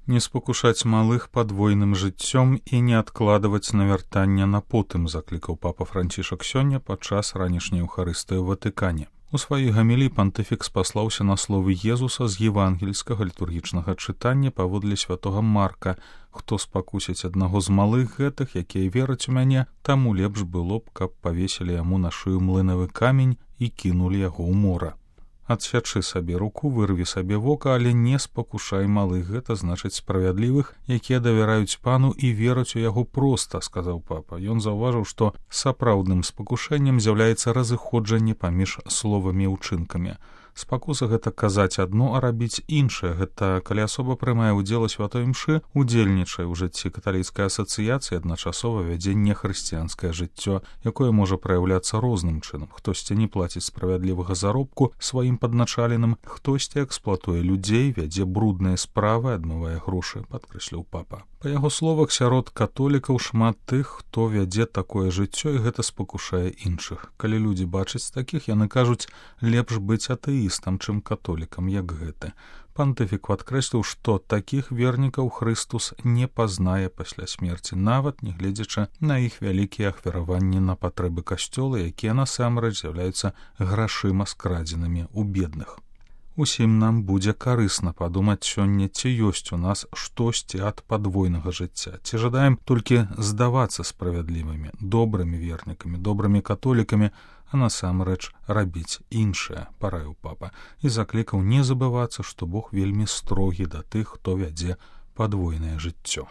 Не спакушаць малых падвойным жыццём і не адкладваць навяртання на потым, заклікаў папа Францішак сёння падчас ранішняй эўхарыстыі ў Ватыкане. У сваёй гаміліі пантыфік спаслаўся на словы Езуса з евангельскага літургічнага чытання паводле святога Марка: «Хто спакусіць аднаго з малых гэтых, якія вераць у мяне, таму лепш было б, каб павесілі яму на шыю млынавы камень і кінулі яго ў мора». Адсячы сабе руку, вырві сабе вока, але не спакушай малых, гэта значыць справядлівых, якія давяраюць пану і вераць у яго проста, сказаў папа. Ён заўважыў, што сапраўдным спакушэннем з'яўляецца разыходжанне паміж словамі і ўчынкамі. Спакуса — гэта казаць адно, а рабіць іншае. Гэта калі асоба прымае ўдзел у святой імшы, удзельнічае ў жыцці каталіцкай асацыяцыі, адначасова вядзе нехрысціянскае жыццё, якое можа праяўляцца розным чынам. Хтосьці не плаціць справядлівага заробку сваім падначаленым, хтосьці эксплуатуе людзей, вядзе брудныя справы, адмывае грошы, падкрэсліў папа. Па яго словах, сярод католікаў шмат тых, хто вядзе такое жыццё, і гэта спакушае іншых. Калі людзі бачаць такіх, яны кажуць, лепш быць атэістам, чым католікам, як гэты. Пантыфік падкрэсліў, што такіх вернікаў Хрыстус не пазнае пасля смерці, нават нягледзячы на іх вялікія ахвяраванні на патрэбы касцёла, якія насамрэч з'яўляюцца грашыма скрадзенымі ў бедных. Усім нам будзе карысна падумаць сёння, ці ёсць у нас штосьці ад падвойнага жыцця, ці жадаем толькі здавацца справядлівымі, добрымі вернікамі, добрымі католікамі, а насамрэч рабіць іншае, параіў папа, і заклікаў не забывацца, што Бог вельмі строгі да тых, хто вядзе падвойнае жыццё.